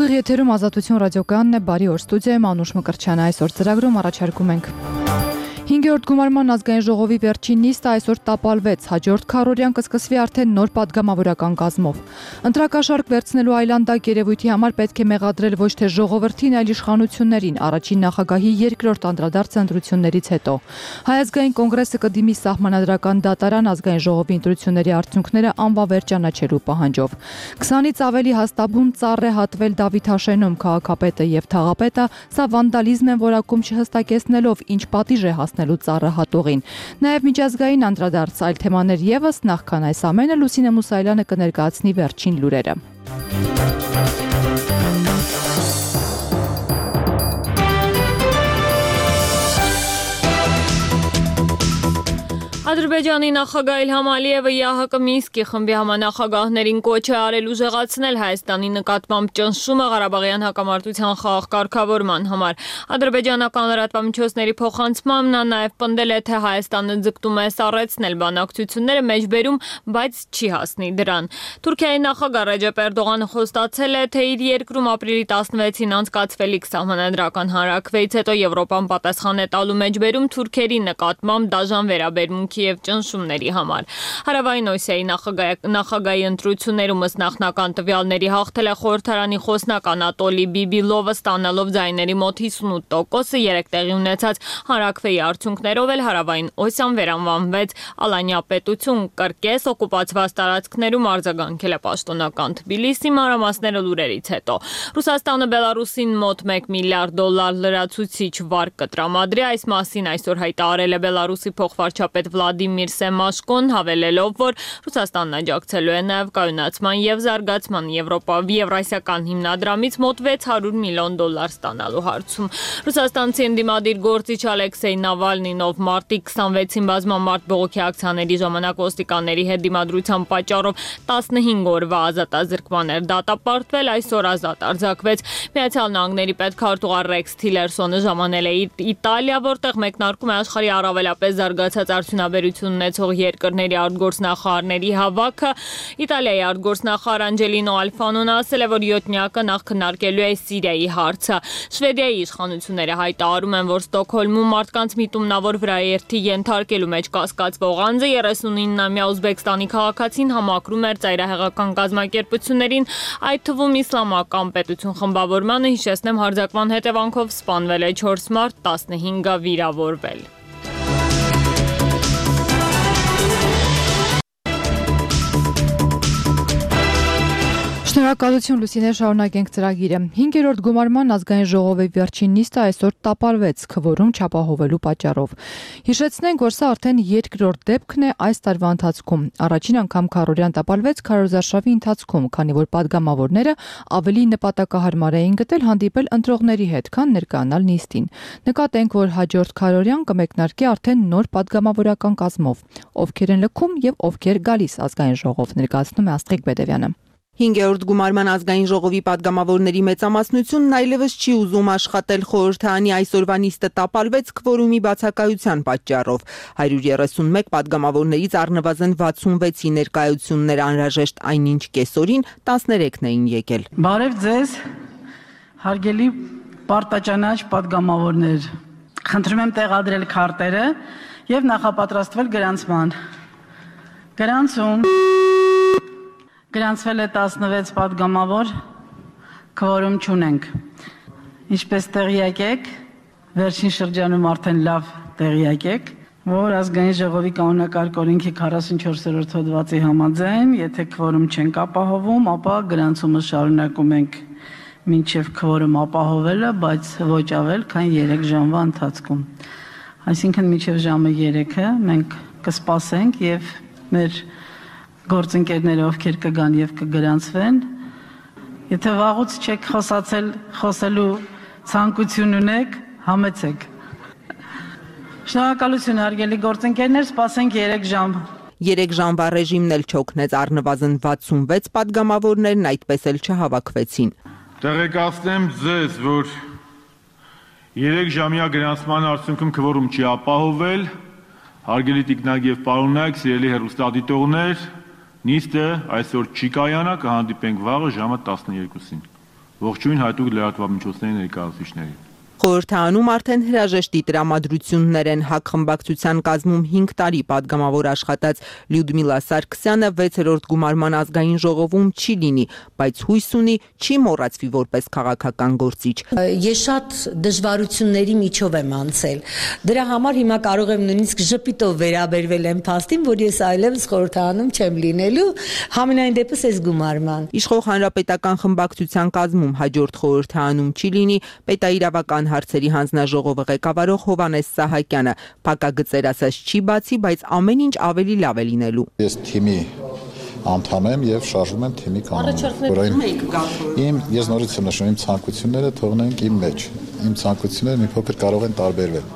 Ուղիղ եթերում Ազատություն ռադիոկայանն է, բարի օր, ստուդիայում Անուշ Մկրտչյանը, այսօր ծրագրում առաջարկում ենք 5-րդ գումարման ազգային ժողովի վերջին նիստը այսօր տապալվեց, հաջորդ քառօրյան կսկսվի արդեն նոր падգամավորական կազմով։ Ընտրակաշառք վերցնելու այլանդակ երևույթի համար պետք է մեղադրել ոչ թե ժողովրդին, այլ իշխանություններին, առաջին նախագահի երկրորդ անդրադարձ ընտրություններից հետո։ Հայ ազգային կոնգրեսը կդիմի սահմանադրական դատարան ազգային ժողովի ընտրությունների արդյունքները անվավեր ճանաչելու պահանջով։ 20-ից ավելի հաստաբուն ծառ է հատվել Դավիթ Հաշենում, քաղաքապետը եւ թաղապետը, սա վանդալիզմ են որակում չհստակեցնելով, ինչ պատիժ է հասնելու ծառը հատողին։ Նաեւ միջազգային անդրադարձ այլ թեմաներ եւս, նախքան այս ամենը Լուսինե Մուսայելյանը կներկայացնի վերջին լուրերը։ Ադրբեջանի նախագահ Իլհամ Ալիևը ԵԱՀԿ Մինսկի խմբի համանախագահներին կոչ է արել ուժեղացնել Հայաստանի նկատմամբ ճնշումը Ղարաբաղյան հակամարտության խաղաղ կարգավորման համար։ Ադրբեջանական լրատվամիջոցների փոխանցմամբ նա նաև պնդել է, թե Հայաստանը ձգտում է սառեցնել բանակցությունները մեջբերում, բայց չի հասնի դրան։ Թուրքիայի նախագահ Ռեջեփ Էրդողանը խոստացել է, թե իր երկրում ապրիլի 16-ին անցկացվելիք սահմանադրական հանրաքվեից հետո Եվրոպան պատասխան է տալու մեջբերում թուրքերի նկատմամբ դաժան վերաբերմունքի և ճնշումների համար։ Հարավային Օսիայի նախագահի ընտրություններում ըստ նախնական տվյալների հաղթել է խորհրդարանի խոսնակ Անատոլի Բիբիլովը, ստանալով ձայների մոտ 58%, երեք տեղի ունեցած հանրաքվեի արդյունքներով էլ Հարավային Օսիան վերանվանվեց Ալանյա պետություն, կրկես օկուպացված տարածքներում արձագանքել է պաշտոնական Թբիլիսի, մանրամասները լուրերից հետո։ Ռուսաստանը Բելարուսին մոտ $1 միլիարդ լրացուցիչ վարկ կտրամադրի, այս մասին այսօր հայտարարել է Բելարուսի փոխվարչապետ Վլադիմիր Սեմաշկոն, հավելելով, որ Ռուսաստանն աջակցելու է նաև կայունացման և զարգացման Եվրասիական հիմնադրամից մոտ $600 միլիոն ստանալու հարցում։ Ռուսաստանցի ընդդիմադիր գործիչ Ալեքսեյ Նավալնին, ով մարտի 26-ին բազմամարդ բողոքի ակցիաների ժամանակ ոստիկանների հետ դիմադրության պատճառով 15 օրվա ազատազրկման էր դատապարտվել, այսօր ազատ արձակվեց։ Միացյալ Նահանգների պետքարտուղար Ռեքս Թիլերսոնը ժամանել է Իտալիա, որտեղ մեկնարկում է աշխարհի առավելապես զարգացած արդյունաբերություն ունեցող երկրների արտգործնախարարների հավաքը։ Իտալիայի արտգործնախարար Անջելինո Ալֆանոն ասել է, որ յոթնյակը նախ քննարկելու է Սիրիայի հարցը։ Շվեդիայի իշխանությունները հայտարարում են, որ Ստոկհոլմում մարդկանց միտումնավոր վրաերթի ենթարկելու մեջ կասկածվող անձը 39-ամյա Ուզբեկստանի քաղաքացին համակրում էր ծայրահեղական կազմակերպություններին, այդ թվում Իսլամական պետություն խմբավորմանը, հիշեցնեմ, հարձակման հետևանքով սպանվել է 4 մարդ, 15-ը վիրավորվել։ Շնորհակալություն Լուսինե, շարունակենք ծրագիրը։ 5-րդ գումարման ազգային ժողովի վերջին նիստը այսօր տապալվեց քվորում չապահովելու պատճառով։ Հիշեցնենք, որ սա արդեն երկրորդ դեպքն է այս տարվա ընթացքում։ Առաջին անգամ քառօրյան տապալվեց քարոզարշավի ընթացքում, քանի որ падգամավորները ավելի նպատակահարմար էին գտել հանդիպել ընտրողների հետ, քան ներկայանալ նիստին։ Նկատենք, որ հաջորդ քառօրյան կմեկնարկի արդեն նոր падգամավորական կազմով։ Ովքեր են լքում եւ ովքեր գալիս ազգային ժողով, ներկայացնում է Աստղիկ Բեդևյանը։ 5-րդ գումարման ազգային ժողովի падգամավորների մեծամասնությունն այլևս չի ուզում աշխատել խորհրդարանի այսօրվա նիստը տապալվեց քվորումի բացակայության պատճառով։ 131 падգամավորներից առնվազն 66-ի ներկայություններ անհրաժեշտ այնինչ կեսօրին 13-ն էին եկել։ Բարև ձեզ, հարգելի պարտաճանաչ падգամավորներ։ Խնդրում եմ տեղադրել քարտերը եւ նախապատրաստվել գրանցման։ Գրանցում Գրանցվել է 16 падգամավոր, քվորում չունենք։ Ինչպես տեղյակ եք, վերջին շրջանում արդեն լավ տեղյակ եք, որ ազգային ժողովի կանոնակարգ օրենքի 44-րդ հոդվածի համաձայն, եթե քվորում չենք ապահովում, ապա գրանցումը շարունակում ենք մինչև քվորում ապահովելը, բայց ոչ ավել, քան 3 ժամվա ընթացքում։ Այսինքն մինչև ժամը 3-ը մենք կսպասենք եւ մեր գործընկերները, ովքեր կգան եւ կգրանցվեն, եթե վաղուց չեք խոսացել, խոսելու ցանկություն ունեք, համեցեք։ Շնորհակալություն, հարգելի գործընկերներ, սպասենք 3 ժամ։ 3 ժամվա ռեժիմն էլ չօգնեց, առնվազն 66 падգամավորներն այդպես էլ չհավաքվեցին։ Տեղեկացնեմ ձեզ, որ 3 ժամյա գրանցման արդյունքում քվորում չի ապահովել, հարգելի տիկնակ եւ պարոննակ, սիրելի հեռուստադիտողներ, նիստը այսօր չի կայանա, կհանդիպենք վաղը ժամը 12-ին։ Ողջույն հատուկ լրատվամիջոցների ներկայացուցիչներին։ Խորհրդարանում արդեն հրաժեշտի տրամադրություններ են ՀԱԿ խմբակցության կազմում 5 տարի падգամավոր աշխատած Լյուդմիլա Սարգսյանը 6-րդ գումարման ազգային ժողովում չի լինի, բայց հույս ունի չի մոռացվի որպես քաղաքական գործիչ։ Ես շատ դժվարությունների միջով եմ անցել։ Դրա համար հիմա կարող եմ նույնիսկ ժպիտով վերաբերվել եմ փաստին, որ ես այլևս խորհրդարանում չեմ լինելու, համենայն դեպս այս գումարման։ Իշխող հանրապետական խմբակցության կազմում հաջորդ խորհրդարանում չի լինի պետաիրավական հարցերի հանձնաժողովը ղեկավարող Հովհաննես Սահակյանը, փակագծեր ասած չի բացի, բայց ամեն ինչ ավելի լավ է լինելու։ Ես թիմի անդամ եմ եւ շարժվում եմ թիմի կանոնով։ Ես նորից եմ նշում իմ ցանկությունները թողնենք իմ մեջ։ Իմ ցանկությունները մի փոքր կարող են տարբերվել։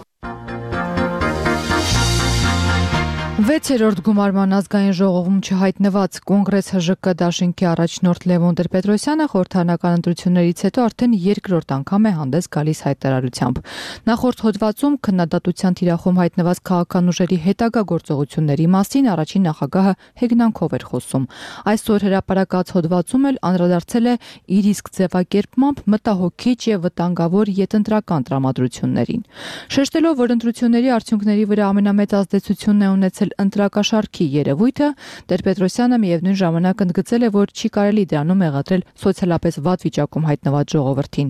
6-րդ գումարման ազգային ժողովում չհայտնված կոնգրես ՀԺԿ դաշինքի առաջնորդ Լևոն Տեր-Պետրոսյանը խորհրդարանական ընտրություններից հետո արդեն երկրորդ անգամ է հանդես գալիս հայտարարությամբ։ Նախորդ հոդվածում քննադատության թիրախում հայտնված քաղաքական ուժերի հետագա գործողությունների մասին առաջին նախագահը հեգնանքով էր խոսում։ Այսօր հրապարակած հոդվածում էլ անդրադարձել է իր իսկ ձևակերպմամբ մտահոգիչ եւ վտանգավոր յետընտրական տրամադրություններին։ Շեշտելով, որ ընտրությունների արդյունքների վրա ամենամեծ ազդեցությունն է ունեցել ընտրակաշարքի երևույթը, Տեր-Պետրոսյանը միևնույն ժամանակ ընդգծել է, որ չի կարելի դրանում մեղադրել սոցիալապես վատ վիճակում հայտնված ժողովրդին։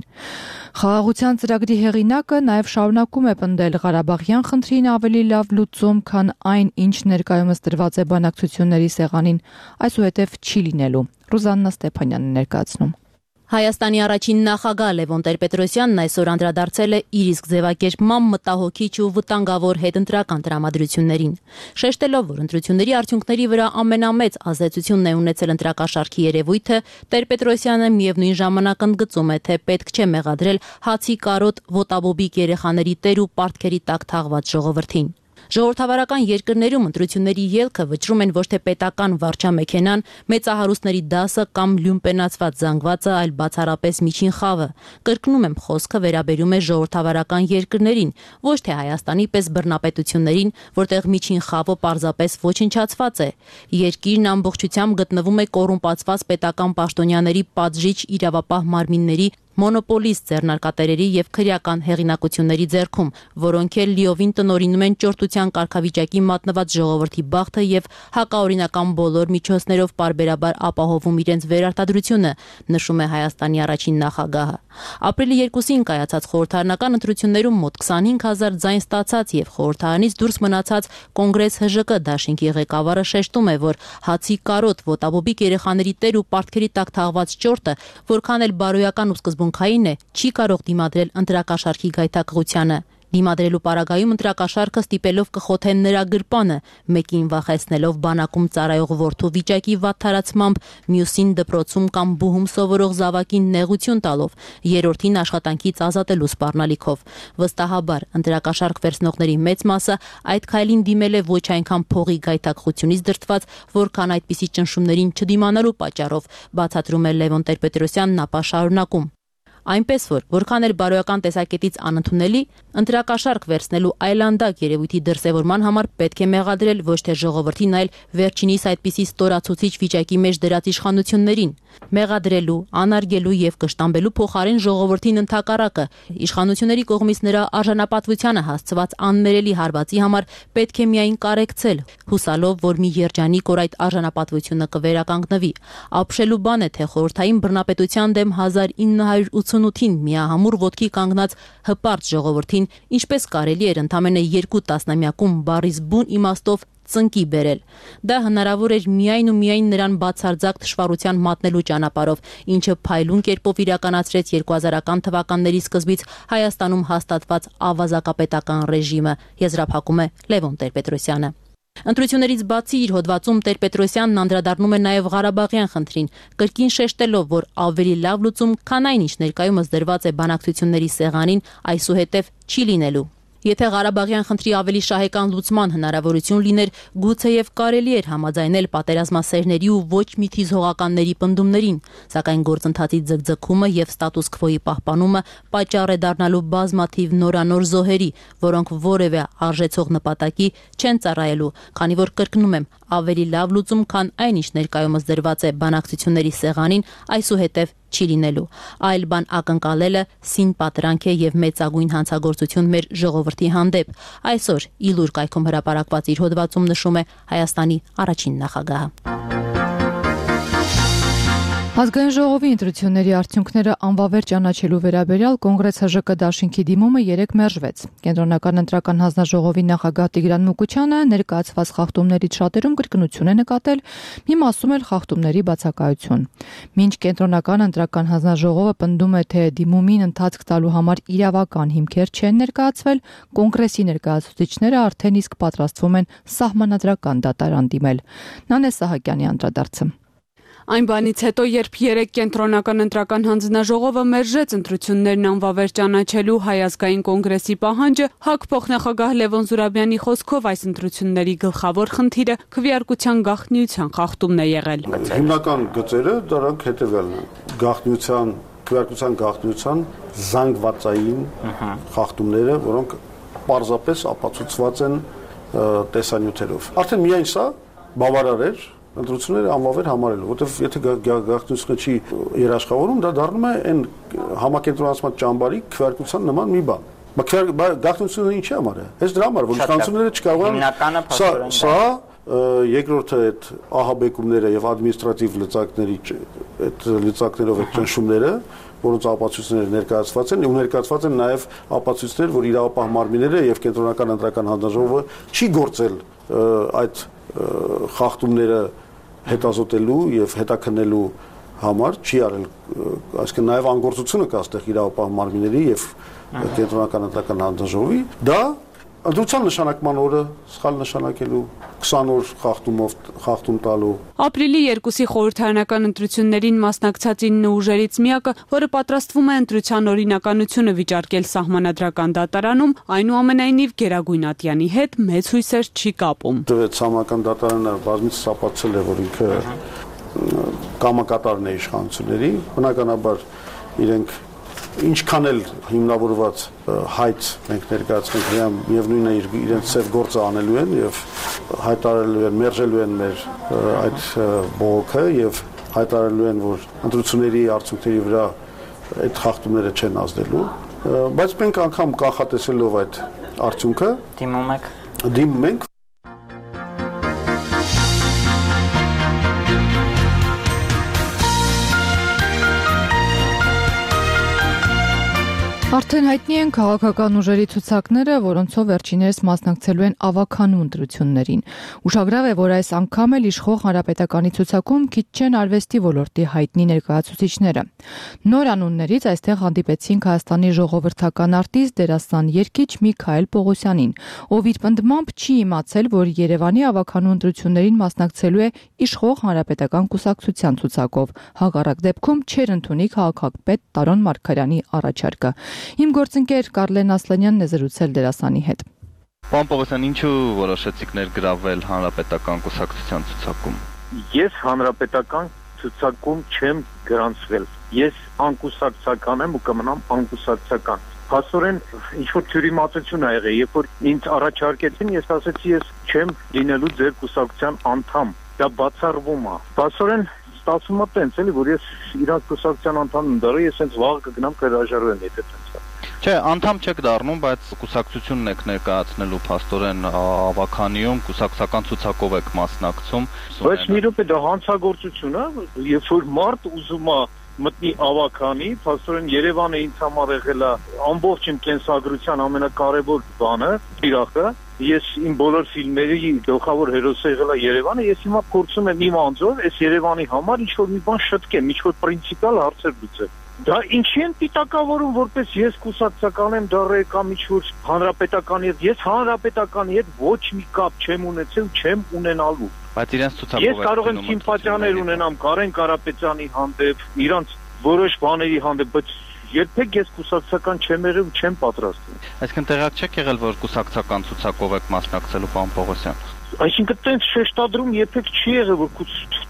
Խաղաղության ծրագրի հեղինակը նաև շարունակում է պնդել Ղարաբաղյան խնդրին ավելի լավ լուծում, քան այն, ինչ ներկայումս դրված է բանակցությունների սեղանին, այսուհետև չի լինելու։ Ռուզաննա Ստեփանյանն ներկայացնում։ Հայաստանի առաջին նախագահ Լևոն Տեր-Պետրոսյանն այսօր անդրադարձել է իր իսկ ձևակերպմամբ մտահոգիչ ու վտանգավոր հետընտրական տրամադրություններին։ Շեշտելով, որ ընտրությունների արդյունքների վրա ամենամեծ ազդեցությունն է ունեցել ընտրակաշարքի երևույթը, Տեր-Պետրոսյանը միևնույն ժամանակ ընդգծում է, թե պետք չէ մեղադրել հացի կարոտ ոտաբոբիկ երեխաների տեր ու պարտքերի տակ թաղված ժողովրդին։ Ժողովրդավարական երկրներում ընտրությունների ելքը վճռում են ոչ թե պետական վարչամեքենան, մեծահարուստների դասը կամ լյումպենացված զանգվածը, այլ բացառապես միջին խավը։ Կրկնում եմ, խոսքը վերաբերում է ժողովրդավարական երկրներին, ոչ թե Հայաստանի պես բռնապետություններին, որտեղ միջին խավը պարզապես ոչնչացված է։ Երկիրն ամբողջությամբ գտնվում է կոռումպացված պետական պաշտոնյաների պատժիչ իրավապահ մարմինների մոնոպոլիստ ձեռնարկատերերի եւ քրեական հեղինակությունների ձեռքում, որոնք էլ լիովին տնօրինում են ճորտության կարգավիճակի մատնված ժողովրդի բախտը եւ հակաօրինական բոլոր միջոցներով պարբերաբար ապահովում իրենց վերարտադրությունը, նշում է Հայաստանի առաջին նախագահը։ Ապրիլի 2-ին կայացած խորհրդարանական ընտրություններում մոտ 25,000 ձայն ստացած եւ խորհրդարանից դուրս մնացած կոնգրես ՀԺԿ դաշինքի ղեկավարը շեշտում է, որ հացի կարոտ ոտաբոբիկ երեխաների տեր ու պարտքերի տակ թաղված ճորտը, որքան էլ բարոյական ու սկզբունքային է, չի կարող դիմադրել ընտրակաշարքի գայթակղությանը։ Դիմադրելու պարագայում ընտրակաշարքը ստիպելով կխոթեն նրա գրպանը, մեկին վախեցնելով բանակում ծառայող որդու վիճակի վատ թարացմամբ, մյուսին դպրոցում կամ բուհում սովորող զավակին նեղություն տալով, երրորդին աշխատանքից ազատելու սպառնալիքով։ Վստահաբար ընտրակաշարք վերցնողների մեծ մասը այդ քայլին դիմել է ոչ այնքան փողի գայթակղությունից դրդված, որքան այդպիսի ճնշումներին չդիմանալու պատճառով, բացատրում է Լևոն Տեր-Պետրոսյանն ապա շարունակում։ Այնպես որ, որքան էլ բարոյական տեսակետից անընդունելի, ընտրակաշարք վերցնելու այլանդակ երևույթի դրսևորման համար պետք է մեղադրել ոչ թե ժողովրդին, այլ վերջինիս այդպիսի ստորացուցիչ վիճակի մեջ դրած իշխանություններին։ Մեղադրելու, անարգելու եւ կշտամբելու փոխարեն ժողովրդին ընդհակառակը իշխանությունների կողմից նրա արժանապատվությանը հասցված աններելի հարվածի համար պետք է միայն կարեկցել, հուսալով, որ մի երջանիկ օր այդ արժանապատվությունը կվերականգնվի։ Ապշելու բան է, թե խորհրդային բռնապետության դեմ 1988-ին միահամուռ ոտքի կանգնած հպարտ ժողովրդին ինչպես կարելի էր ընդամենը 2 տասնամյակում բառից բուն իմաստով ծնկի բերել։ Դա հնարավոր էր միայն ու միայն նրան բացարձակ թշվառության մատնելու ճանապարհով, ինչը փայլուն կերպով իրականացրեց 2000-ական թվականների սկզբից Հայաստանում հաստատված ավազակապետական ռեժիմը, եզրափակում է Լևոն Տեր-Պետրոսյանը։ Ընտրություններից բացի իր հոդվածում Տեր-Պետրոսյանն անդրադառնում է նաև Ղարաբաղյան խնդրին, կրկին շեշտելով, որ ավելի լավ լուծում, քան այն, ինչ ներկայումս դրված է բանակցությունների սեղանին, այսուհետև չի լինելու։ Եթե Ղարաբաղյան խնդրի ավելի շահեկան լուծման հնարավորություն լիներ, գուցեև կարելի էր համաձայնել պատերազմասերների ու ոչ մի թիզհողականների պնդումներին, սակայն գործընթացի ձգձգումը եւ ստատուս քվոյի պահպանումը պատճառ է դառնալու բազմաթիվ նորանոր զոհերի, որոնք որևէ արժեցող նպատակի չեն ծառայելու, քանի որ կրկնում եմ, ավելի լավ լուծում, քան այն ինչ ներկայումս դրված է բանակցությունների սեղանին, այսուհետև չի լինելու։ Այլ բան ակնկալելը սին պատրանք է եւ մեծագույն հանցագործություն մեր ժողովրդի հանդեպ։ Այսօր Իլուր կայքում հրապարակված իր հոդվածում նշում է Հայաստանի առաջին նախագահը։ Ազգային ժողովի ընտրությունների արդյունքները անվավեր ճանաչելու վերաբերյալ Կոնգրես ՀԺԿ դաշինքի դիմումը 3 մերժվեց։ Կենտրոնական ընտրական հանձնաժողովի նախագահ Տիգրան Մուկուչյանը ներկայացված խախտումներից շատերում կրկնություն է նկատել, մի մասում էլ խախտումների բացակայություն։ Մինչ Կենտրոնական ընտրական հանձնաժողովը պնդում է, թե դիմումին ընթացք տալու համար իրավական հիմքեր չեն ներկայացվել, Կոնգրեսի ներկայացուցիչները արդեն իսկ պատրաստվում են սահմանադրական դատարան դիմել։ Նանե Սահակյանի անդրադարձը։ Այն բանից հետո, երբ 3 կենտրոնական ընտրական հանձնաժողովը մերժեց ընտրություններն անվավեր ճանաչելու Հայ ազգային կոնգրեսի պահանջը, ՀԱԿ փոխնախագահ Լևոն Զուրաբյանի խոսքով այս ընտրությունների գլխավոր խնդիրը քվեարկության գաղտնիության խախտումն է եղել։ Հիմնական գծերը դրանք հետևյալն են. քվեարկության գաղտնիության զանգվածային խախտումները, որոնք պարզապես ապացուցված են տեսանյութերով։ Արդեն միայն սա բավարար էր ընտրությունները անվավեր համարելու, որտեղ եթե գաղտնիությունը չի երաշխավորում, դա դառնում է այն համակենտրոնացված ճամբարի քվեարկության նման մի բան։ Գաղտնիությունը ինչի համար է։ Հենց դրա համար, որ իշխանությունները չկարողան սա երկրորդը այդ ահաբեկումները եւ ադմինիստրատիվ լծակների այդ լծակներով այդ ճնշումները, որոնց ապացույցները ներկայացված են, ու ներկայացված են նաեւ ապացույցներ, որ իրավապահ մարմինները եւ կենտրոնական ընտրական հանձնաժողովը չի գործել այդ խախտումները հետազոտելու եւ հետաքննելու համար չի արել, այսինքն նաեւ անգործությունը կա այստեղ իրավապահ մարմինների եւ կենտրոնական ընտրական հանձնաժողովի, դա ընտրության նշանակման օրը սխալ նշանակելու 20 օր խախտում տալու։ Ապրիլի 2-ի խորհրդարանական ընտրություններին մասնակցած 9 ուժերից միակը, որը պատրաստվում է ընտրության օրինականությունը վիճարկել սահմանադրական դատարանում, այնուամենայնիվ Գերագույն Ատյանի հետ մեծ հույսեր չի կապում։ Սահմանադրական դատարանը բազմիցս ապացուցել է, որ ինքը կամակատարն է իշխանությունների, բնականաբար իրենք ինչքան էլ հիմնավորված հայտ մենք ներկայացնենք եւ նույնը իրենց ծև գործը անելու են եւ հայտարարելու են, մերժելու են մեր այդ բողոքը եւ հայտարարելու են, որ ընտրությունների արդյունքների վրա այդ խախտումները չեն ազդելու, բայց մենք անգամ կանխատեսելով այդ արդյունքը դիմում ենք Արդեն հայտնի են քաղաքական ուժերի ցուցակները, որոնցով վերջիներս մասնակցելու են ավականու ընտրություններին։ Ուշագրավ է, որ այս անգամ էլ իշխող հանրապետականի ցուցակում քիչ չեն արվեստի ոլորտի հայտնի ներկայացուցիչները։ Նոր անուններից այստեղ հանդիպեցինք Հայաստանի ժողովրդական արտիստ դերասան երգիչ Միքայել Պողոսյանին, ով իր պնդմամբ չի իմացել, որ Երևանի ավականու ընտրություններին մասնակցելու է իշխող հանրապետական կուսակցության ցուցակով։ Հակառակ դեպքում չէր ընդունի քաղաքապետ Տարոն Մարգարյանի առաջարկը։ Իմ գործընկեր Կարլեն Ասլանյանն է զրուցել դերասանի հետ։ Պարոն Պողոսյան, ինչու որոշեցիք ներգրավել հանրապետական կուսակցության ցուցակում։ Ես հանրապետական ցուցակում չեմ գրանցվել։ Ես անկուսակցական եմ ու կմնամ անկուսակցական։ Փաստորեն ինչ-որ թյուրիմացություն ա եղել, երբ որ ինձ առաջարկեցին, ես ասացի, ես չեմ լինելու ձեր կուսակցության անդամ։ Դա բացառվում է։ Փաստորեն ստացվում է տենց էլի, որ ես իրանց կուսակցության անդամ եմ դառը, ես հենց վաղը կգնամ կհրաժարվեմ, եթե տենց է։ Չէ, անդամ չեք դառնում, բայց կուսակցությունն եք ներկայացնելու փաստորեն ավականիում, կուսակցական ցուցակով եք մասնակցում։ Բայց մի րոպե, դա հանցագործություն է, երբ որ մարդ ուզում է մտնի ավականի, փաստորեն Երևանը ինձ համար եղել է ամբողջ իմ կենսագրության ամենակարևոր բանը, իրախը։ Ես իմ բոլոր ֆիլմերի գլխավոր հերոսը եղել է Երևանը, ես հիմա փորձում եմ իմ անձով այս Երևանի համար ինչ-որ մի բան շտկեմ, ինչ-որ պրինցիպիալ հարցեր լուծել։ Դա ինչի են պիտակավորում, որպես ես կուսակցական եմ դառել կամ ինչ-որ հանրապետականի հետ, ես հանրապետականի հետ ոչ մի կապ չեմ ունեցել, չեմ ունենալու։ Բայց իրենց ցուցակով ես կարող եմ սիմպաթիաներ ունենամ Կարեն Կարապետյանի հանդեպ, իրանց որոշ բաների հանդեպ, բայց երբեք ես կուսակցական չեմ եղել ու չեմ պատրաստվում։ Այսինքն տեղյակ չեք եղել, որ կուսակցական ցուցակով եք մասնակցելու, պարոն Պողոսյան։ Այսինքն տենց շեշտադրում երբեք չի եղել, որ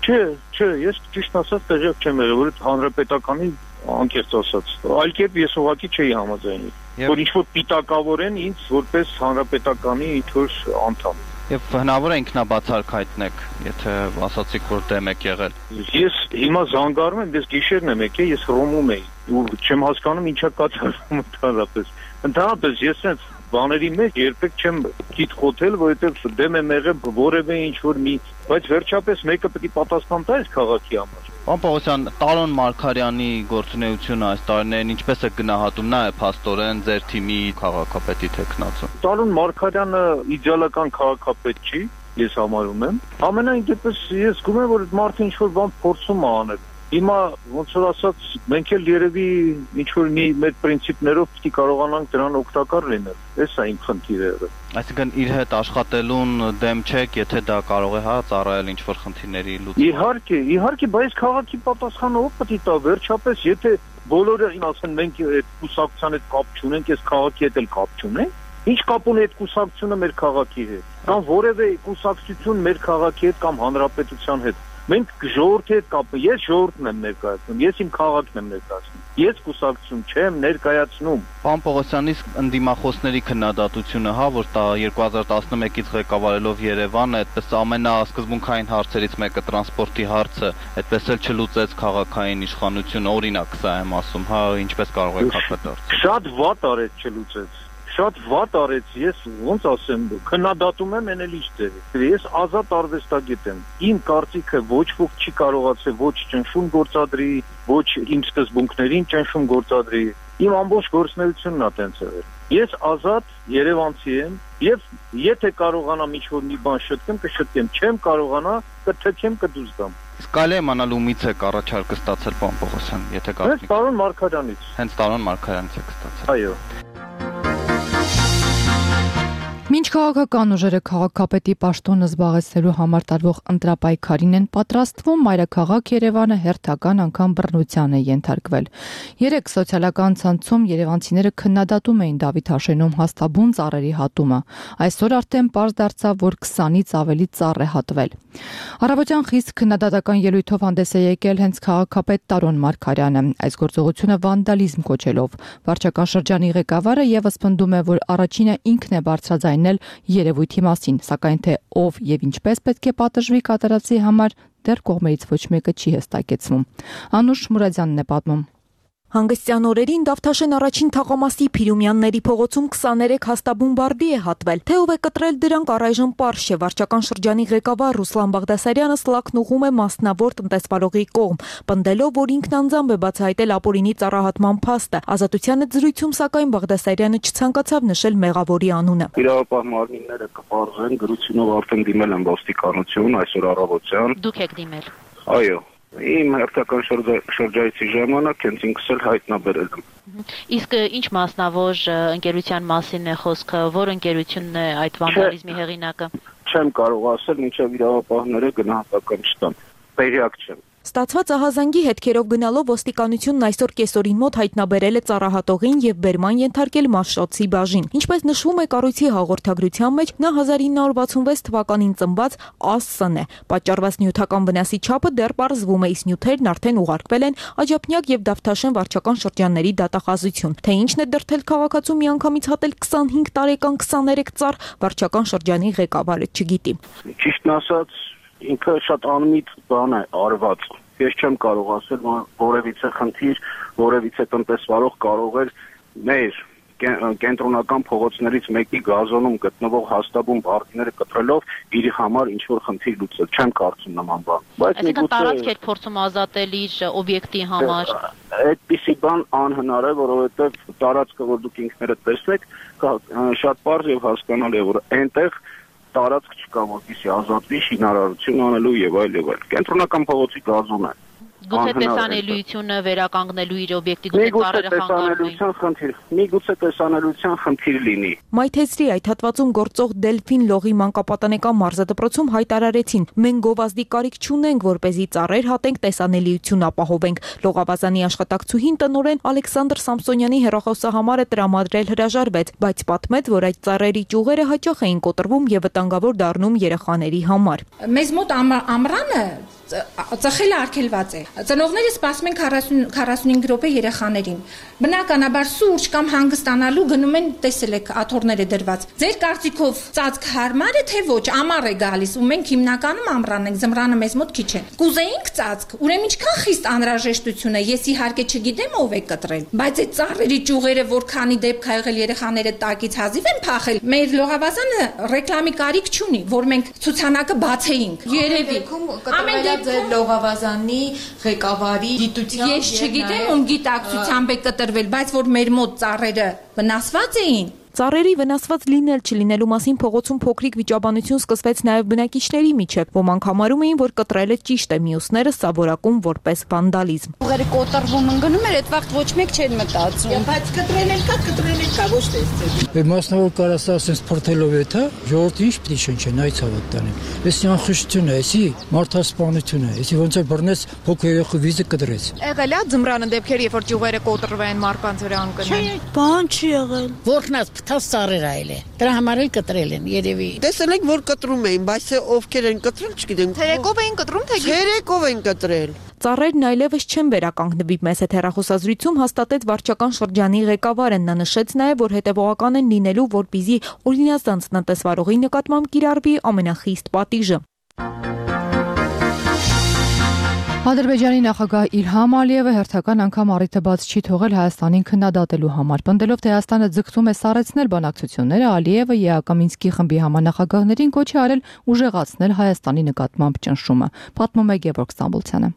չէ, ես ճիշտ ասած տեղյակ չեմ եղել, որ հանրապետականի անկեղծ ասած, այլ կերպ ես ուղղակի չէի համաձայնի, որ ինչ-որ պիտակավոր են ինձ որպես հանրապետականի ինչ-որ անդամ։ Եվ հնարավոր է ինքնաբացարկ հայտնեք, եթե ասացիք, որ դեմ եք եղել։ Ես հիմա զանգարում եմ, ես գիշերն եմ եկել, ես Հռոմում էի ու չեմ հասկանում ինչա կատարվում ընդհանրապես։ Ընդհանրապես ես sense բաների մեջ երբեք չեմ գիտ խոթել, որովհետև դեմ եմ եղել որևէ ինչ-որ մի, բայց վերջապես մեկը պետք է պատասխան տա այս քաղաքի համար։ Պարոն Պողոսյան, Տարոն Մարգարյանի գործունեությունը այս տարիներին ինչպես է գնահատում, նա է փաստորեն ձեր թիմի քաղաքապետի թեկնածու։ Տարոն Մարգարյանը իդեալական քաղաքապետ չի, ես համարում եմ։ Ամենայն դեպս ես զգում եմ, որ մարդը ինչ-որ բան փորձում է անել։ Հիմա ոնց որ ասած մենք էլ երևի ինչ-որ մի մեր պրինցիպներով պետք է կարողանանք դրան օգտակար լինել։ Էս է իմ խնդիրը։ Այսինքն իր հետ աշխատելուն դեմ չեք, եթե դա կարող է ծառայել ինչ-որ խնդիրների լուծման։ Իհարկե, բայց քաղաքի պատասխանը ով պետք է տա, վերջապես եթե բոլորը ասեն մենք այդ կուսակցության հետ կապ չունենք, այս քաղաքի հետ էլ կապ չունենք, ինչ կապ ունի այդ կուսակցությունը մեր քաղաքի հետ, կամ որևէ կուսակցություն մեր քաղաքի հետ կամ հանրապետության հետ։ Մենք ժողովրդի հետ կապը, ես ժողովուրդն եմ ներկայացնում, ես իմ քաղաքն եմ ներկայացնում, ես կուսակցություն չեմ ներկայացնում։ Պարոն Պողոսյան, իսկ ընդդիմախոսների քննադատությունը, որ 2011-ից ղեկավարելով Երևանը, այդպես ամենասկզբունքային հարցերից մեկը տրանսպորտի հարցը, այդպես էլ չլուծեց քաղաքային իշխանությունը, օրինակ սա եմ ասում, ինչպես կարող եք հապետարել։ Շատ վատ արեց չլուծեց։ Շատ վատ արեց, ես ոնց ասեմ, քննադատում եմ էնել ինչ դեր։ Ես ազատ արվեստագետ եմ։ Իմ կարծիքը ոչ ոք չի կարողացել ոչ ճնշում գործադրի, ոչ իմ սկզբունքներին ճնշում գործադրի։ Իմ ամբողջ գործունեությունն է տենց եղել։ Ես ազատ երևանցի եմ եւ եթե կարողանամ ինչ-որ մի բան շտկեմ, կշտկեմ, չեմ կարողանա, կթքեմ, կդուրս գամ։ Իսկ կարելի է իմանալ ումից եք առաջարկը ստացել, պարոն Պողոսյան, եթե կարելի։ Հենց Տարոն Մարգարյանից։ Հենց Տարոն Մարգարյանից եք ստացել։ Այո։ Մինչ քաղաքական ուժերը քաղաքապետի պաշտոնը զբաղեցնելու համար տարվող ընտրապայքարին են պատրաստվում, մայրաքաղաք Երևանը հերթական անգամ բռնության է ենթարկվել։ Երեկ սոցիալական ցանցում երևանցիները քննադատում էին Դավիթ Հաշենում հաստաբուն ծառերի հատումը։ Այսօր արդեն պարզ դարձավ, որ 20-ից ավելի ծառ է հատվել։ Առավոտյան խիստ քննադատական ելույթով հանդես է եկել հենց քաղաքապետ Տարոն Մարգարյանը, այս գործողությունը վանդալիզմ կոչելով։ Վարչական շրջանի ղեկավարը եւս պնդում է, որ առաջինը ինքն է բարձրաձայնել երևույթի մասին, սակայն թե ով եւ ինչպես պետք է պատժվի կատարածի համար դեռ կողմերից ոչ մեկը չի հստակեցնում։ Անուշ Մուրադյանն է պատմում։ Հանգստյան օրերին Դավթաշեն առաջին թաղամասի Փիրումյանների փողոցում 23 հաստաբուն բարդի է հատվել։ Թե ով է կտրել դրանք առայժմ պարզ չէ։ Վարչական շրջանի ղեկավար Ռուսլան Բաղդասարյանը սլաքն ուղում է մասնավոր տնտեսվարողի կողմ, պնդելով, որ ինքն անձամբ է բացահայտել ապօրինի ծառահատման փաստը։ Ազատության հետ զրույցում սակայն Բաղդասարյանը չցանկացավ նշել մեղավորի անունը։ Իրավապահ մարմինները կպարզեն, գրությունով արդեն դիմել են ոստիկանություն այսօր առավոտյան։ Դուք եք դիմել։ Այո։ Իմ հերթական շրջայցի ժամանակ հենց ինքս էլ հայտնաբերել եմ։ Իսկ ինչ մասնավոր ընկերության մասին է խոսքը, որ ընկերությունն է այդ վանդալիզմի հեղինակը։ Չեմ կարող ասել, մինչև իրավապահները գնահատական չտան։ Տեղյակ չեմ։ Ստացված ահազանգի հետքերով գնալով ոստիկանությունն այսօր կեսօրին մոտ հայտնաբերել է ծառահատողին եւ բերման ենթարկել Մաշտոցի բաժին։ Ինչպես նշվում է կառույցի հաղորդագրության մեջ, նա 1966 թվականին ծնված Աս.Ս.ն է։ Պատճառված նյութական վնասի չափը դեռ պարզվում է, իսկ նյութերն արդեն ուղարկվել են Աջափնյակ եւ Դավթաշեն վարչական շրջանների դատախազություն։ Թե ինչն է դրդել քաղաքացու միանգամից հատել 25 տարեկան 23 ծառ, վարչական շրջանի ղեկավարը չգիտի։ Ճիշտն ասած, ինքը շատ անմիտ բան է արված։ Ես չեմ կարող ասել, որ որևիցե խնդիր, որևիցե տնտեսվարող կարող էր մեր կենտրոնական փողոցներից մեկի գազոնում գտնվող հաստաբուն բարդիները կտրելով իր համար ինչ-որ խնդիր լուծել։ Չեմ կարծում նման բան։ Բայց միգուցե տարածք էր փորձում ազատել իր օբյեկտի համար։ Այդպիսի բան անհնար է, որովհետև տարածքը, որ դուք ինքներդ տեսնեք, շատ պարզ եւ հասկանալի է, որ այնտեղ տարածք չկա, որպեսզի ազատվի շինարարություն անելու եւ այլ եւ այլ։ Կենտրոնական փողոցի գազոն է։ Գուցե տեսանելիությունը վերականգնելու իր օբյեկտի գուցե ծառերը խանգարվի։ Միգուցե տեսանելիության խնդիր լինի։ Մայթեզրի այդ հատվածում գործող Դելֆին լողի մանկապատանեկան մարզադպրոցում հայտարարեցին. մենք գովազդի կարիք չունենք, որպեսզի ծառեր հատենք, տեսանելիություն ապահովենք։ Լողավազանի աշխատակցուհին տնօրեն Ալեքսանդր Սամսոնյանի հեռախոսահամարը տրամադրել հրաժարվեց, բայց պատմեց, որ այդ ծառերի ճյուղերը հաճախ էին կոտրվում եւ վտանգավոր դառնում երեխաների համար։ Մեզ մոտ ամռանը ծխելը արգելված է։ Ծնողները սպասում են 45 րոպե երեխաներին։ Բնականաբար սուրճ կամ հանգստանալու գնում են, տեսել եք, աթոռները դրված։ Ձեր կարծիքով ծածկ հարմար է թե ոչ, ամառ է գալիս ու մենք հիմնականում ամռան ենք, ձմռանը մեզ մոտ քիչ է։ Կուզեինք ծածկ, ուրեմն ինչքան խիստ անհրաժեշտություն է, ես իհարկե չգիտեմ ով է կտրել, բայց այդ ծառերի ճյուղերը որքանի դեպք ա եղել երեխաները տակից հազիվ են փախել։ Մեր լողավազանը ռեկլամի կարիք չունի, որ մենք ցուցանակը բացեինք։ Երևի ամեն դեպքում լողավազանի ղեկավարի գիտության ես չգիտեմ ում գիտակցությամբ է կտրվել, բայց որ մեր մոտ ծառերը վնասված էին։ Ծառերի վնասված լինել չլինելու մասին փողոցում փոքրիկ վիճաբանություն սկսվեց նաև բնակիչների միջև։ Ոմանք համարում էին, որ կտրելը ճիշտ է, մյուսները սա որակում որպես վանդալիզմ։ Ուղերը կոտրվում ընկնում էր, այդ վաղ ոչ մեկ չեն մտածում։ Բայց կտրել կա, ոչ թե։ Մասնավոր կարաս ասես փորթելով է, թե ժողովուրդը ինչ պիտի շնչեն, այց հավատ տանեն։ Էսի անխշտություն է, էսի մարդասպանություն է, էսի ոնց է բռնես փոքր երեխու վիզը կտրեց։ Եղել է ձմռանը դեպքեր, երբ որ ճյուղերը կոտրվեն, մարկանց վրա ընկնեն։ Բան չի եղել։ Որքանած փթած ծառեր այլ է։ Դրա համար էլ կտրել են երևի։ Տեսել ենք, որ կտրում էին, բայց ովքեր են կտրել, չգիտեմ։ Թերեկով էին կտրում, թե Թերեկով են կտրել։ Ծառերն այլևս չեն վերականգնվի, մեծ հեռախոսազրույցում հաստատեց վարչական շրջանի ղեկավարը։ Նա նշեց նաև, որ հետևողական են լինելու, որպեսզի օրինազանց տնտեսվարողի նկատմամբ կիրառվի ամենախիստ պատիժը։ Ադրբեջանի նախագահ Իլհամ Ալիևը հերթական անգամ առիթը բաց չի թողել Հայաստանին քննադատելու համար։ Պնդելով, թե Հայաստանը ձգտում է սառեցնել բանակցությունները, Ալիևը ԵԱԿ Մինսկի խմբի համանախագահներին կոչ է արել ուժեղացնել Հայաստանի նկատմամբ ճնշումը։ Պատմում է Գևորգ Ստամբոլցյանը։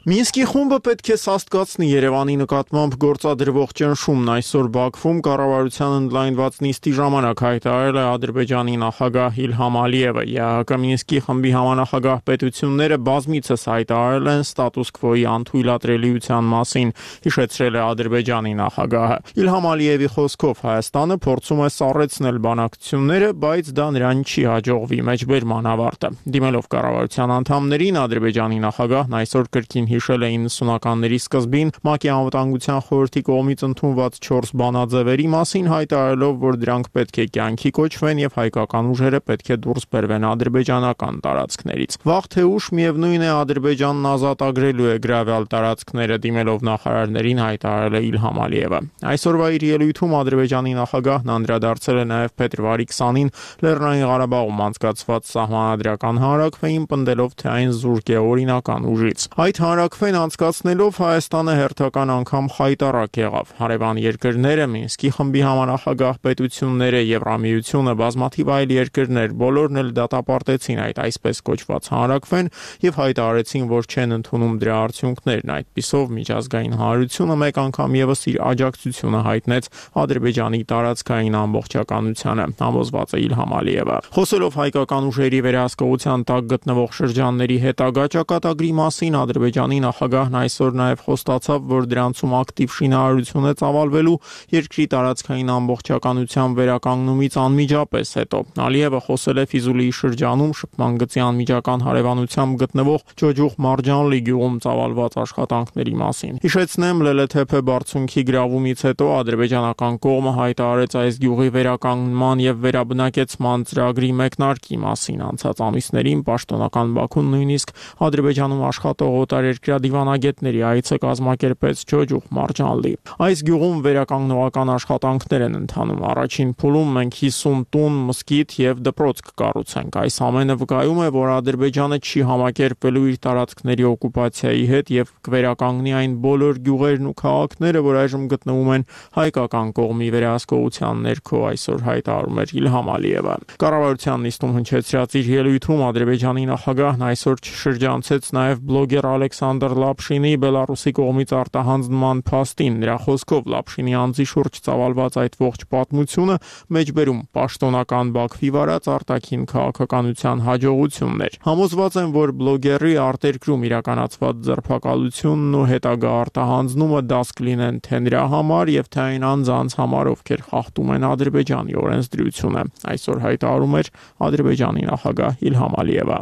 Մինսկի խումբը պետք է սաստկացնի Երևանի նկատմամբ գործադրվող ճնշումն այսօր Բաքվում կառավարության ընդլայնված նիստի ժամանակ հայտարարել է Ադրբեջանի նախագահ Իլհամ Ալիևը։ ԵԱՀԿ Մինսկի խմբի համանախագահ պետությունները բազմիցս հայտարարել են ստատուս քվոյի անթույլատրելիության մասին, հիշեցրել է Ադրբեջանի նախագահը։ Իլհամ Ալիևի խոսքով Հայաստանը փորձում է սառեցնել բանակցությունները, բայց դա նրան չի հաջողվի մեջբերման ավարտը։ Դիմելով կառավարության անդամներին, Ադրբեջանի նախագահն այսօր կրկին հիշել է 90-ականների սկզբին ՄԱԿ-ի անվտանգության խորհրդի կողմից ընդունված 4 բանաձևերի մասին, հայտարարելով, որ դրանք պետք է կյանքի կոչվեն եւ հայկական ուժերը պետք է դուրս բերվեն ադրբեջանական տարածքներից։ Վաղ թե ուշ միևնույն է Ադրբեջանն ազատագրելու է գրավյալ տարածքները, դիմելով նախարարներին հայտարարել է Իլհամ Ալիևը։ Այսօրվա իր ելույթում Ադրբեջանի նախագահն անդրադարձել է նաեւ փետրվարի 20-ին Լեռնային Ղարաբաղում անցկացված սահմանադրական հանրաքվեին, պնդելով, թե այն զուրկ է օրինական ուժից։ Այդ հանրաքվեն անցկացնելով Հայաստանը հերթական անգամ խայտառակ եղավ։ Հարևան երկրները, Մինսկի խմբի համանախագահ պետությունները, Եվրամիությունը, բազմաթիվ այլ երկրներ բոլորն էլ դատապարտեցին այդ այսպես կոչված հանրաքվեն եւ հայտարարեցին, որ չեն ընդունում դրա արդյունքներն։ Այդպիսով միջազգային հանրությունը մեկ անգամ եւս իր աջակցությունը հայտնեց Ադրբեջանի տարածքային ամբողջականությանը, համոզված է Իլհամ Ալիևը։ Խոսելով հայկական ուժերի վերահսկողության տակ գտնվող շրջանների հետագա ճակատագրի մասին, Ադրբեջանի նախագահն այսօր նաև խոստացավ, որ դրանցում ակտիվ շինարարություն է ծավալվելու երկրի տարածքային ամբողջականության վերականգնումից անմիջապես հետո։ Ալիևը խոսել է Ֆիզուլիի շրջանում շփման գծի անմիջական հարևանությամբ գտնվող Ջոջուխ Մարջանլի գյուղում ծավալված աշխատանքների մասին։ Հիշեցնեմ, Լելեթեփե բարձունքի գրավումից հետո ադրբեջանական կողմը հայտարարեց այս գյուղի վերականգնման եւ վերաբնակեցման ծրագրի մեկնարկի մասին։ Անցած ամիսներին պաշտոնական Բաքուն նույնիսկ Ադրբեջանում աշխատող օտարերկրյա դիվանագետների այցը կազմակերպեց Ջոջուխ Մարջանլի։ Այս գյուղում վերականգնողական աշխատանքներ են ընթանում։ Առաջին փուլում մենք 50 տուն, մզկիթ եւ դպրոց կկառուցենք։ Այս ամենը վկայում է, որ Ադրբեջանը չի համակերպելու իր տարածքների օկուպացիայի հետ եւ կվերականգնի այն բոլոր գյուղերն ու քաղաքները, որ այժմ գտնվում են հայկական կողմի վերահսկողության ներքո, այսօր հայտարարում էր Իլհամ Ալիևը։ Կառավարության նիստում հնչեցրած իր ելույթում Ադրբեջանի նախագահն այսօր շրջանցեց նաեւ բլոգեր Ալեքսանդր Լապշինի Բելարուսի կողմից արտահանձնման փաստին։ Նրա խոսքով Լապշինի անձի շուրջ ծավալված այդ ողջ պատմությունը մեջբերում պաշտոնական Բաքվի վարած արտաքին քաղաքականության հաջողությունն էր։ Համոզված եմ, որ բլոգերի արտերկրում իրականացված ձերբակալությունն ու հետագա արտահանձնումը դաս կլինեն թե նրա համար եւ թե այն անձանց համար, ովքեր խախտում են Ադրբեջանի օրենսդրությունը, այսօր հայտարարում էր Ադրբեջանի նախագահ Իլհամ Ալիևը։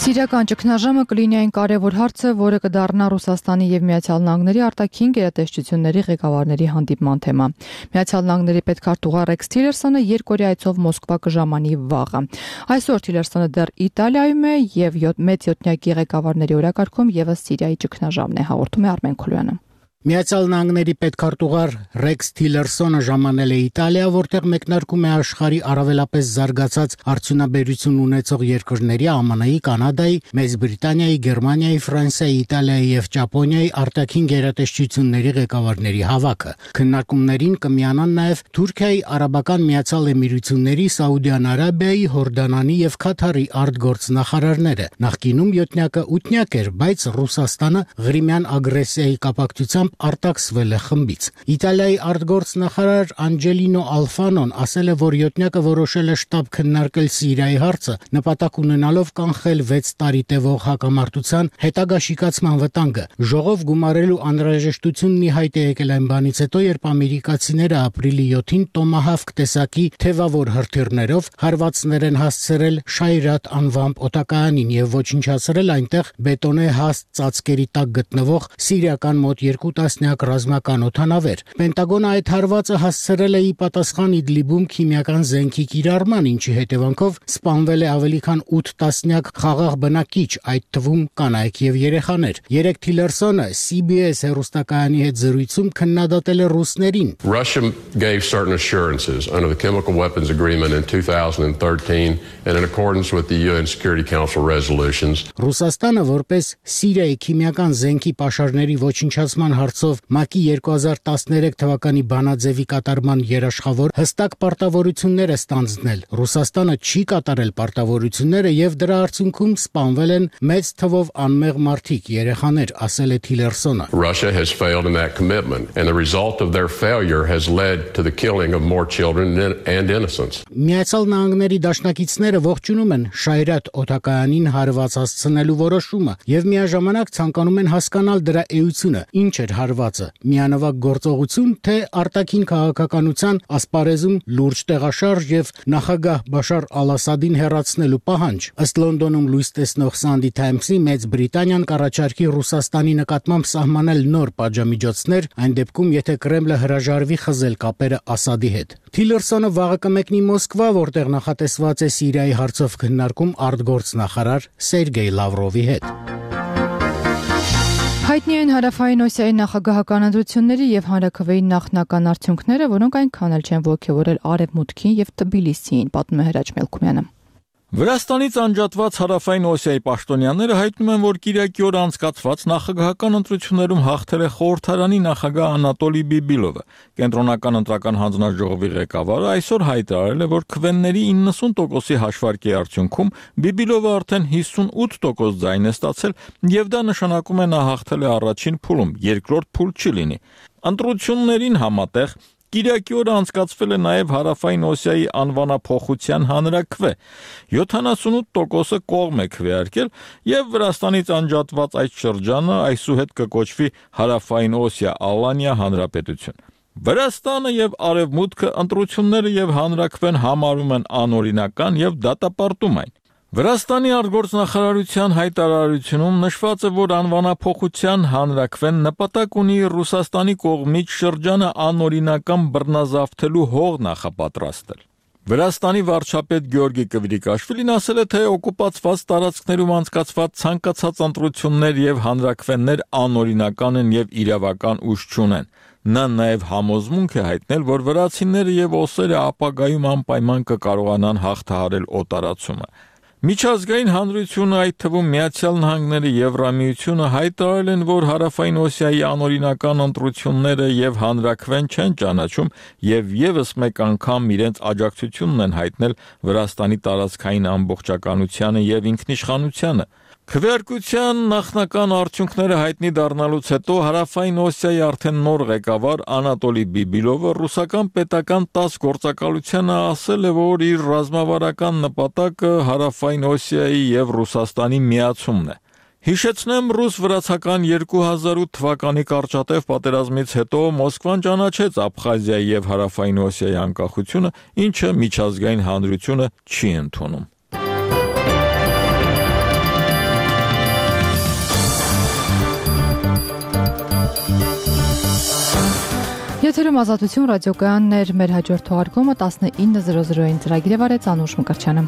Սիրիական ճգնաժամը կլինի այն կարևոր հարցը, որը կդառնա Ռուսաստանի եւ Միացյալ Նահանգների արտաքին գերատեսչությունների ղեկավարների հանդիպման թեմա։ Միացյալ Նահանգների պետքարտուղար Ռեքս Թիլերսոնը երկօրյա այցով Մոսկվա կժամանի վաղը։ Այսօր Թիլերսոնը դեռ Իտալիայում է եւ մեծ յոթնյակի ղեկավարների օրակարգում եւս Սիրիայի ճգնաժամն է, հաղորդում է Արմեն Քոլյանը։ Միացյալ Նահանգների պետքարտուղար Ռեքս Թիլերսոնը ժամանել է Իտալիա, որտեղ մեկնարկում է աշխարհի առավելապես զարգացած արդյունաբերություն ունեցող երկրների ԱՄՆ-ի, Կանադայի, Մեծ Բրիտանիայի, Գերմանիայի, Ֆրանսիայի, Իտալիայի եւ Ճապոնիայի արտաքին գերատեսչությունների ղեկավարների հավաքը։ Քննարկումներին կմիանան նաեւ Թուրքիայի, Արաբական Միացյալ Էմիրությունների, Սաուդյան Արաբիայի, Հորդանանի եւ Քաթարի արտգործնախարարները։ Նախկինում յոթնյակը ութնյակ էր, բայց Ռուսաստանը Ղրիմյան ագրեսիայի կապակցությամբ արտաքսվել է խմբից։ Իտալիայի արտգործնախարար Անջելինո Ալֆանոն ասել է, որ յոթնյակը որոշել է շտապ քննարկել Սիրիայի հարցը, նպատակ ունենալով կանխել 6 տարի տևող հակամարտության հետագա շիկացման վտանգը։ Ժողով գումարելու անհրաժեշտությունն ի հայտ է եկել այն բանից հետո, երբ ամերիկացիները ապրիլի 7-ին Տոմահավք տեսակի թևավոր հրթիռներով հարվածներ են հասցրել Շայրատ անվամբ օտակայանին եւ ոչնչացրել այնտեղ բետոնե հաստ ծածկերի տակ գտնվող սիրիական մոտ 2 տասնյակ ռազմական օդանավեր։ Պենտագոնը այդ հարվածը հասցրել է ի պատասխան Իդլիբում քիմիական զենքի կիրառման, ինչի հետևանքով սպանվել է ավելի քան 8 տասնյակ խաղաղ բնակիչ, այդ թվում կանայք եւ երեխաներ։ Երեկ Թիլերսոնը CBS հեռուստակայանի հետ զրույցում քննադատել է ռուսներին։ Russia gave certain assurances under the Chemical Weapons Agreement in 2013 and in accordance with the UN Security Council resolutions. Ռուսաստանը որպես Սիրիայի քիմիական զենքի պաշարների ոչնչացման հարցով ՄԱԿ-ի 2013 թվականի բանաձևի կատարման երաշխավոր հստակ պարտավորություններ է ստանձնել։ Ռուսաստանը չի կատարել պարտավորությունները եւ դրա արդյունքում սպանվել են մեծ թվով անմեղ մարդիկ, երեխաներ, ասել է Թիլերսոնը։ Russia has failed in that commitment and the result of their failure has led to the killing of more children and innocents. Միացյալ Նահանգների դաշնակիցները ողջունում են Շայրատ օդակայանին հարված հասցնելու որոշումը եւ միաժամանակ ցանկանում են հասկանալ դրա էությունը, ինչ էր հարվածը, միանավակ գործողություն, թե արտաքին քաղաքականության ասպարեզում լուրջ տեղաշարժ եւ նախագահ Բաշար Ալ-Ասադին հեռացնելու պահանջ։ Ըստ Լոնդոնում լույս տեսնող Sunday Times-ի Մեծ Բրիտանիան կառաջարկի Ռուսաստանի նկատմամբ սահմանել նոր պատժամիջոցներ, այն դեպքում, եթե Կրեմլը հրաժարվի խզել կապերը Ասադի հետ։ Թիլերսոնը վաղը կմեկնի Մոսկվա, որտեղ նախատեսված է Սիրիայի հարցով քննարկում արտգործնախարար Սերգեյ Լավրովի հետ։ Հայտնի են Հարավային Օսիայի նախագահական ընտրությունների եւ հանրաքվեի նախնական արդյունքները, որոնք այնքան էլ չեն ոգևորել Արևմուտքին եւ Թբիլիսիին, պատմում է Հրաչ Մելքումյանը։ Վրաստանից անջատված Հարավային Օսիայի պաշտոնյաները հայտնում են, որ Կիրակի օր անցկացված նախագահական ընտրություններում հաղթել է խորհրդարանի նախագահ Անատոլի Բիբիլովը։ Կենտրոնական ընտրական հանձնաժողովի ղեկավարը այսօր հայտարարել է, որ քվեների 90%-ի հաշվարկի արդյունքում Բիբիլովը արդեն 58% ձայն է ստացել, եւ դա նշանակում է նա հաղթել է առաջին փուլում, երկրորդ փուլ չի լինի։ Ընտրություններին համատեղ Կիրակի օրը անցկացվել է նաև Հարավային Օսիայի անվանափոխության հանրաքվե։ 78%-ը կողմ է քվեարկել եւ Վրաստանից անջատված այդ շրջանը այսուհետ կկոչվի Հարավային Օսիա Ալանիա հանրապետություն։ Վրաստանը եւ Արևմուտքը ընտրությունները եւ հանրաքվեն համարում են անօրինական եւ դատապարտում այն։ Վրաստանի արտգործնախարարության հայտարարությունում նշված է, որ անվանափոխության հանրաքվեն նպատակ ունի Ռուսաստանի կողմից շրջանը անօրինական բռնազավթելու հող նախապատրաստել։ Վրաստանի վարչապետ Գյորգի Կվրիկաշվիլին ասել է, թե օկուպացված տարածքներում անցկացված ցանկացած ընտրություններ եւ հանրաքվեներ անօրինական են եւ իրավական ուժ չունեն։ Նա նաև համոզմունք է հայտնել, որ վրացիները եւ օսերը ապագայում անպայման կկարողանան հաղթահարել օտարացումը։ Միջազգային հանրությունը, այդ թվում Միացյալ Նահանգները, Եվրամիությունը հայտարարել են, որ Հարավային Օսիայի անօրինական ընտրությունները եւ հանրաքվեն չեն ճանաչում եւ եւս մեկ անգամ իրենց աջակցությունն են հայտնել Վրաստանի տարածքային ամբողջականությանը եւ ինքնիշխանությանը։ Քվեարկության նախնական արդյունքները հայտնի դառնալուց հետո Հարավային Օսիայի արդեն նոր ղեկավար Անատոլի Բիբիլովը ռուսական պետական 10 գործակալությանը ասել է, որ իր ռազմավարական նպատակը Հարավային Օսիայի եւ Ռուսաստանի միացումն է։ Հիշեցնեմ, ռուս-վրացական 2008 թվականի կարճատև պատերազմից հետո Մոսկվան ճանաչեց Աբխազիայի եւ Հարավային Օսիայի անկախությունը, ինչը միջազգային հանրությունը չի ընդունում։ Եթերում Ազատություն ռադիոկայաններ, մեր հաջորդ թողարկումը 19:00-ին ծրագիրը վարեց Անուշ Մկրտչյանը։